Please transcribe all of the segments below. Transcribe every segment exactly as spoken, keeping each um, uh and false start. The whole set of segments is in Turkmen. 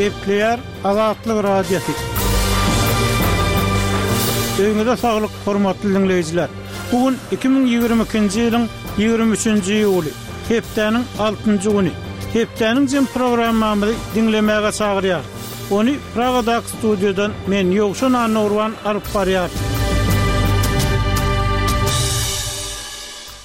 Gepleýär Azatlyk Radiosy. Öýüňize saglyk, hormatly diňleýjiler. Bu gün iki müň ýigrimi ikinji ýylyň ýigrimi üçünji iýuly, hepdäniň altynjy güni. Hepdäniň jem programmamyzy diňlemäge çagyrýar. Ony Pragadaky studiýadan men Ýowşan Annagurban alyp barýar.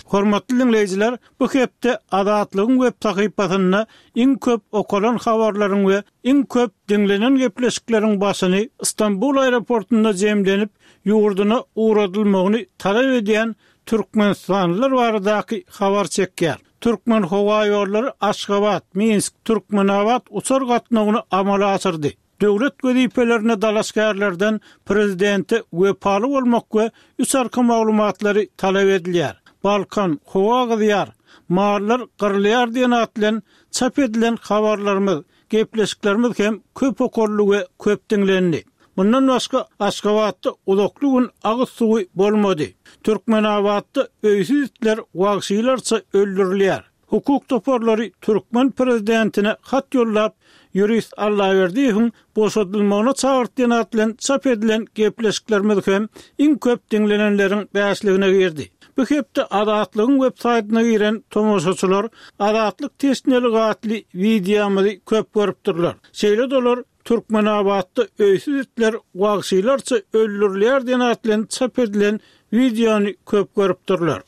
Hormatly diňleýjiler, bu hepde Azatlygyň web sahypasynda iň köp okalan habarlaryň we iň köp diňlenen gepleşikleriň başyny Istanbul aeroportunda jemlenip, ýurduna ugradylmagyny talap edýän Türkmenistanlylar baradaky habar çekýär. Türkmen howa ýollary Aşgabat, Minsk, Türkmenabat uçar gatnawyny amala aşyrdy. Döwlet wezipelerine dalaşgärlerden prezidente wepaly bolmak we üç arka maglumatlary talap edilýär. Balkan, howa gyzýar, mallar gyrylýar diýen at bilen çap edilen habarlarymyz, gepleşiklerimiz hem köp okaldy we köp diňlendi. Bundan başga Aşgabatda uzakly gün agyz suwy bolmady. Türkmenabatda öýsüz itler wagşylarça öldürilýär. Hukuk toparlary türkmen prezidentine hat ýollap, ýurist Allaberdiýewiň boşadylmagyna çagyrtýan at bilen çap edilen gepleşiklerimiz hem iň köp diňlenenleriň bäşligine girdi. Bu hepde Azatlygyň web saýtyna giren tomaşaçylar Azatlyk teşneligi atly wideomyzy köp görüpdirler. Şeýle dolar Türkmenabatda öýsüz itler wagşylarça öldürilýär diýen at bilen çap edilen wideony köp görüpdirler.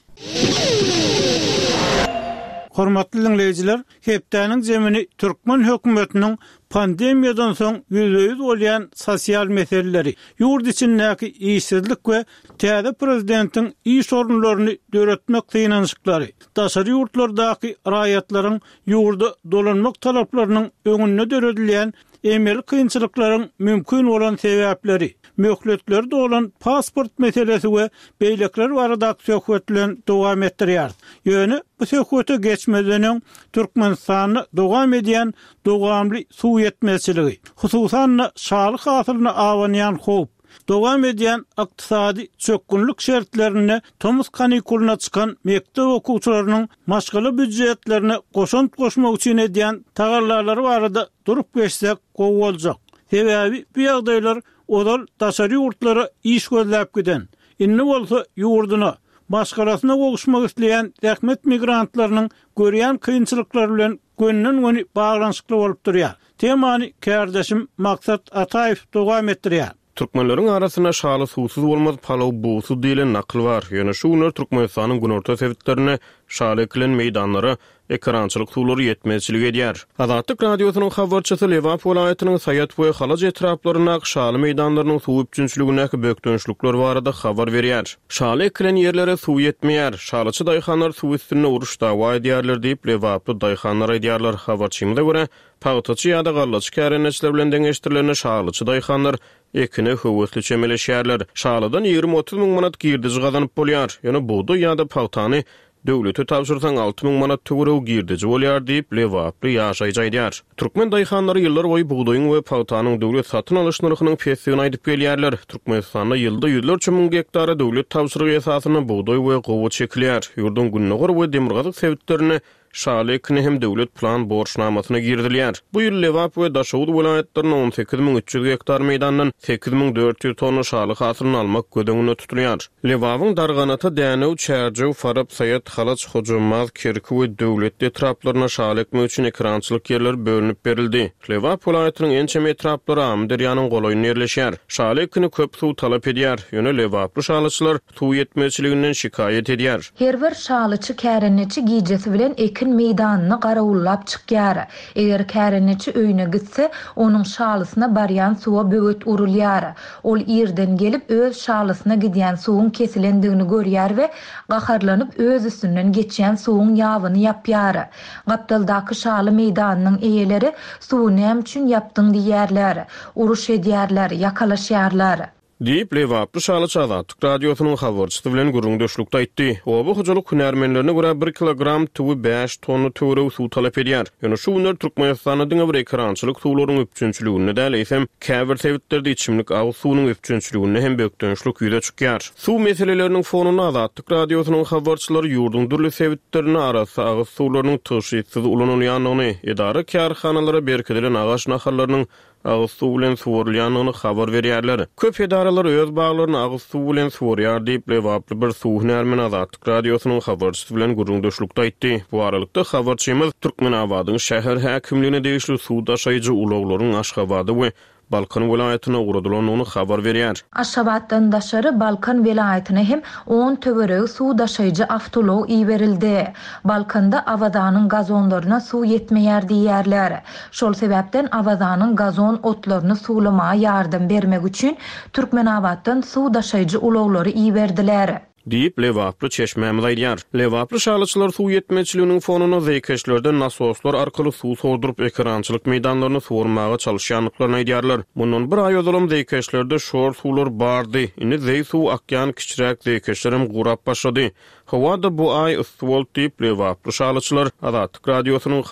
Hormatly diňleýjiler, hepdäniň zemini türkmen hökümetiniň pandemiýadan soň ýüzbe-ýüz bolýan sosial meseleleri, ýurt içindäki işsizlik we täze prezidentiň iş orunlaryny döretmek synanyşyklary, daşary ýurtlardaky raýatlaryň ýurda dolanmak talaplarynyň öňünde döredilýän emeli kynçylyklaryň mümkin bolan sebäpleri, möhletleri dolan pasport meselesi we beýlekler baradaky söhbet bilen dowam etdirýär. Ýöne bu söhbete geçmeden öň Türkmenistanda dowam edýän dowamly suw ýetmezçiligi, hususan-da şaly hasylyna abanýan howp, dowam edýän ykdysady çökgünlik şertlerinde tomus kanikulyna çykan mekdep okuwçylarynyň maşgala býujetlerine goşant goşmak üçin edýän tagallalary barada durup geçsek gowy boljak. Sebäbi bu ýagdaýlar ozal daşary ýurtlara iş gözläp giden, indi bolsa ýurduna, maşgalasyna gowuşmak isleýän zähmet migrantlarynyň görýän kynçylyklary bilen gönden-göni baglanyşykly bolup durýar. Temany kärdeşim Maksat Ataýew dowam etdirýär. Türkmenleriň arasynda şaly suwsuz bolmaz, palaw bugsuz diýlen nakyl bar. Ýöne şu günler Türkmenistanyň günorta sebitlerinde şaly ekilen meýdanlara ekerançylyk suwlary ýetmezçilik edýär. Azatlyk Radiosynyň habarçysy Lebap welaýatynyň Saýat we Halaç etraplaryndaky şaly meýdanlarynyň suw üpjünçiligindäki bökdençlikler barada habar berýär. Şaly ekilen ýerlere suw ýetmeýär. Şalyçy daýhanlar suw üstünde uruş dawa edýärler diýip Lebaply daýhanlar aýdýarlar. Habarçymyza görä, pagtaçy ýa-da gallaçy kärendeçiler bilen deňeşdirilende şalyçy daýhanlar ekine höwesli çemeleşýärler. Şalydan ýigrimi otuz müň manat girdiji gazanyp bolýar. Ýöne bugdaý ýa-da pagtany döwlete tabşyrsaň alty müň manat töweregi girdiji bolýar diýip Lebaply ýaşaýjy aýdýar. Türkmen daýhanlary ýyllar boýy bugdaýyň we pagtanyň döwlet satyn alyş nyrhynyň pesdigini aýdyp gelýärler. Türkmenistanda ýylda ýüzlerçe müň gektara döwlet tabşyrygy esasynda bugdaý we gowaça ekilýär. Ýurduň gündogar we demirgazyk sebitlerinde şaly ekini hem döwlet plan borçnamasyna girizilýär. Bu ýyl Lebap we Daşoguz welaýatlarynda on sekiz müň üç ýüz gektar meýdandan sekiz müň dört ýüz tonna şaly hasylyny almak göz öňünde tutulýar. Lebabyň Darganata, Dänew, Çärjew, Farap, Saýat, Halaç, Hojambaz, Kerki we Döwletli etraplaryna şaly ekmek üçin ekerançylyk ýerleri bölünip berildi. Lebap welaýatynyň ençeme etraplary Amyderýanyň golaýynda ýerleşýär. Şaly ekini köp suw talap edýär. Ýöne Lebaply şalyçylar suw ýetmezçiliginden şikaýat edýär. Her bir şalyçy kärendeçi gijesi bilen ekin meýdanyny garawullap çykýar. Eger kärendeçi öýüne gitse, onuň şalysyna barýan suwa böwet urulýar. Ol ýerden gelip öz şalysyna gidýän suwuň kesilendigini görýär we gaharlanyp öz üstünden geçýän suwuň ýabyny ýapýar. Gapdaldaky şaly meýdanynyň eýeleri suwy näme üçin ýapdyň diýýärler. Uruş edýärler, ýakalaşýarlar. Diýip, lebaply şalyçy Azatlyk Radiosynyň habarçysy bilen gürrüňdeşlikde aýtdy. Oba hojalyk hünärmenlerine görä, bir kilogram tüwi bäş tonna töweregi suw talap edýär. Ýöne şu günler Türkmenistanda diňe bir ekerançylyk suwlaryň üpjünçiliginde däl, eýsem, käbir sebitlerde içimlik agyz suwunyň üpjünçiliginde hem bökdençlik ýüze çykýar. Suw meseleleriniň fonunda Azatlyk Radiosynyň habarçylary ýurduň dürli sebitlerinde arassa agyz suwlarynyň tygşytsyz ulanylýandygyny, edara-kärhanalara berkidilen agaç nahallarynyň agyz suw bilen suwarylýandygyny habar berýärler. Köp edaralar öz baglaryny agyz suw bilen suwarýar diýip, lebaply bir suw hünärmeni Azatlyk Radiosynyň habarçysy bilen gürrüňdeşlikde aýtdy. Bu aralykda, habarçymyz Türkmenabadyň şäher häkimligine degişli suw daşaýjy ulaglaryň Aşgabada we Balkan welaýatyna ugradylandygyny habar berýär. Aşgabatdan daşary Balkan welaýatyna hem on töweregi suw daşaýjy awtoulag iberildi. Balkanda Awazanyň gazonlaryna suw ýetmeýär diýýärler. Şol sebäpden Awazanyň gazon otlaryny suwlamaga ýardam bermek üçin Türkmenabatdan suw daşaýjy ulaglary iberdiler. Diýip, lebaply çeşmämiz aýdýar. Lebaply şalyçylar suw ýetmezçiliginiň fonunda zeýkeşlerden nasoslar arkaly suw sorduryp, ekerançylyk meýdanlaryny suwarmaga çalyşýandyklaryny aýdýarlar. Mundan bir aý ozalam zeýkeşlerde şor suwlar bardy. Indi zeý suw akýan kiçiräk zeýkeşlerem gurap başlady. Howa-da bu aý yssy boldy diýip, lebaply şalyçylar Azatlyk Radiosynyň